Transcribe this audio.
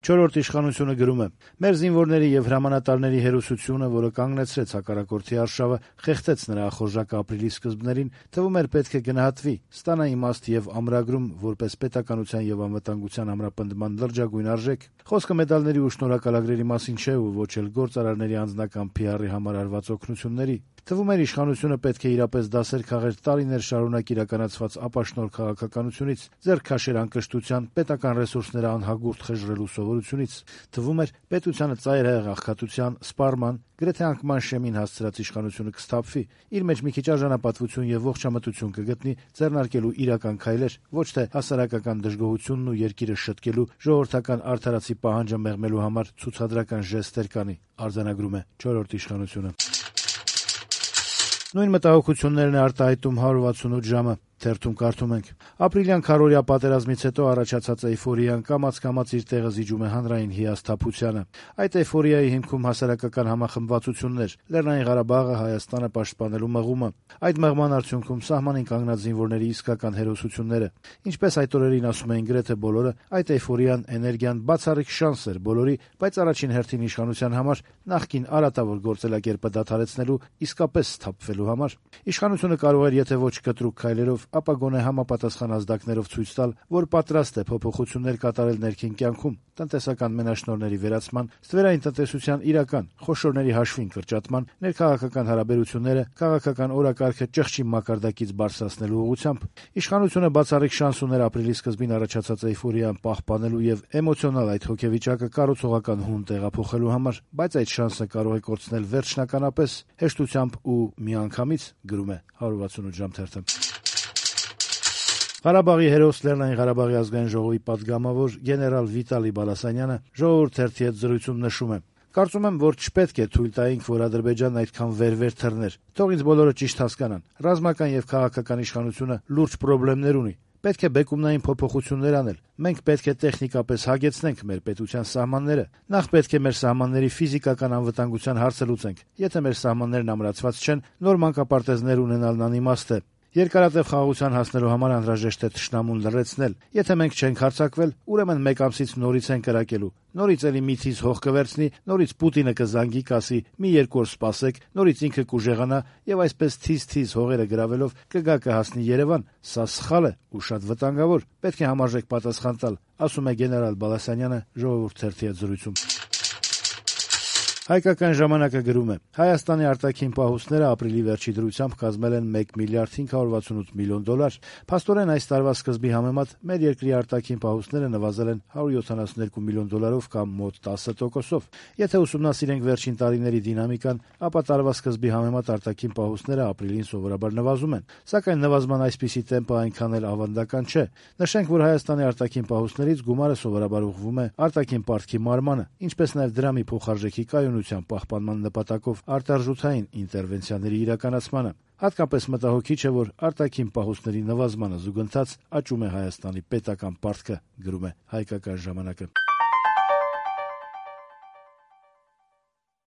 Չորրորդ իշխանությունը գրում է. «Մեր զինվորների եւ հրամանատարների հերոսությունը, որը կանգնեցրեց հակառակորդի արշավը, խեղդեց նրա ախորժակը ապրիլի սկզբներին, թվում էր պետք է գնահատվի, ստանա իմաստ եւ ամրագրում որպես պետականության եւ անվտանգության ամրապնդման լրջագույն արժեք։ Խոսքը մեդալների ու շնորհակալագրերի մասին չէ ու ոչ էլ գործարարների անձնական PR-ի համար արված օգնությունների։ Թվում էր իշխանությունը պետք է իրապես դասեր քաղեր տարիներ շարունակ իրականացված ապաշնորհ քաղաքականությունից, ձեռք քաշեր անկշտության, պետական ռեսուրսները անհագուրդ խժռելու սովորությունից։ Թվում էր պետությանը ծայրահեղ աղքատության, սպառման, գրեթե անկման շեմին հասցրած իշխանությունը կսթափվի, իր մեջ մի քիչ արժանապատվություն եւ ողջամտություն կգտնի, ձեռնարկելու իրական քայլեր, ոչ թե հասարակական դժգոհությունն ու երկիրը շտկելու, ժողովրդական արդարացի պահանջը մեղմելու համար ցուցադրական ժեստեր կանի», արձանագրում է չորրորդ իշխանությունը։ Նույն մտահոգություններն է արտահայտում 168 ժամը։ Թերթում կարդում ենք. «Ապրիլյան քառօրյա պատերազմից հետո առաջացած էյֆորիան կամաց-կամաց իր տեղը զիջում է հանրային հիասթափությանը։ Այդ էյֆորիայի հիմքում հասարակական համախմբվածություններ, Լեռնային Ղարաբաղը, Հայաստանը պաշտպանելու մղումը, այդ մղման արդյունքում սահմանին կանգնած զինվորների իսկական հերոսությունները։ Ինչպես այդ օրերին ասում էին գրեթե բոլորը, այդ էյֆորիան, էներգիան բացառիկ շանս էր բոլորի, բայց առաջին հերթին իշխանության համար, նախկին արատավոր գործելակերպը դադարեցնելու, իսկապես սթափվելու համար։ Իշխանությունը կարող էր, եթե ոչ կտրուկ քայլերով, ապա գոնե համապատասխան ազդակներով ցույց տալ, որ պատրաստ է փոփոխություններ կատարել ներքին կյանքում, տնտեսական մենաշնորհների վերացման, ստվերային տնտեսության իրական, խոշորների հաշվին կրճատման, ներքաղաքական հարաբերությունները, քաղաքական օրակարգը ճղճի մակարդակից բարձրացնելու ուղղությամբ։ Իշխանությունը բացառիկ շանս ուներ ապրիլի սկզբին առաջացած էյֆորիան պահպանելու եւ էմոցիոնալ այդ հոգեվիճակը կառուցողական հուն տեղափոխելու համար, բայց այդ շանսը կարող է կորցնել վերջնականապես, հեշտությամբ ու միանգամից», գրում է 168 ժամ թերթը։ Ղարաբաղի հերոս Լեռնային Ղարաբաղի ազգային ժողովի պատգամավոր գեներալ Վիտալի Բալասանյանը «Ժողովուրդ» թերթի հետ զրույցում նշում է. «Կարծում եմ, որ չպետք է թույլ տայինք, որ Ադրբեջանն այդքան վեր թռներ։ Թող ինձ բոլորը ճիշտ հասկանան. ռազմական եւ քաղաքական իշխանությունը լուրջ խնդիրներ ունի։ Պետք է բեկումնային փոփոխություններ անել։ Մենք պետք է տեխնիկապես հագեցնենք մեր պետության սահմանները։ Նախ պետք է մեր սահմանների ֆիզիկական անվտանգության հարցը լուծենք։ Եթե մեր սահմաններն ամրացված չեն, նոր մանկապարտեզներ ունենալն անիմաստ է։ Երկարատև խաղաղության հասնելու համար անհրաժեշտ է թշնամուն լռեցնել։ Եթե մենք չենք հարձակվել, ուրեմն մեկ ամսից նորից են կրակելու։ Նորից էլի մի թիզ հող կվերցնի, նորից Պուտինը կզանգի, կասի՝ մի երկու օր սպասեք, նորից ինքը կուժեղանա եւ այսպես թիզ հողերը գրավելով կգա կհասնի Երևան։ Սա սխալ է ու շատ վտանգավոր։ Պետք է համարժեք պատասխան տալ», ասում է գեներալ Բալասանյանը «Ժողովուրդ» թերթի հետ զրույցում։ Հայկական ժամանակը գրում է. «Հայաստանի արտաքին պահուստները ապրիլի վերջի դրությամբ կազմել են $1 միլիարդ 568 միլիոն։ Փաստորեն այս տարվա սկզբի համեմատ մեր երկրի արտաքին պահուստները նվազել են $172 միլիոն կամ մոտ 10%-ով։ Եթե ուսումնասիրենք վերջին տարիների դինամիկան, ապա տարվա սկզբի համեմատ արտաքին պահուստները ապրիլին սովորաբար նվազում են, սակայն նվազման այսպիսի տեմպը այնքան էլ ավանդական չէ։ Նշենք, որ Հայաստանի արտաքին պահուստներից գումարը սովորաբար ուղղվում է արտաքին պարտքի մարմանը, ինչպես նաև դրամի փոխարժեքի կայունության պահպանման նպատակով արտարժութային ինտերվենցիաների իրականացմանը։ Հատկապես մտահոգիչ է, որ արտաքին պահուստների նվազմանը զուգընթաց աճում է Հայաստանի պետական պարտքը», գրում է Հայկական ժամանակը։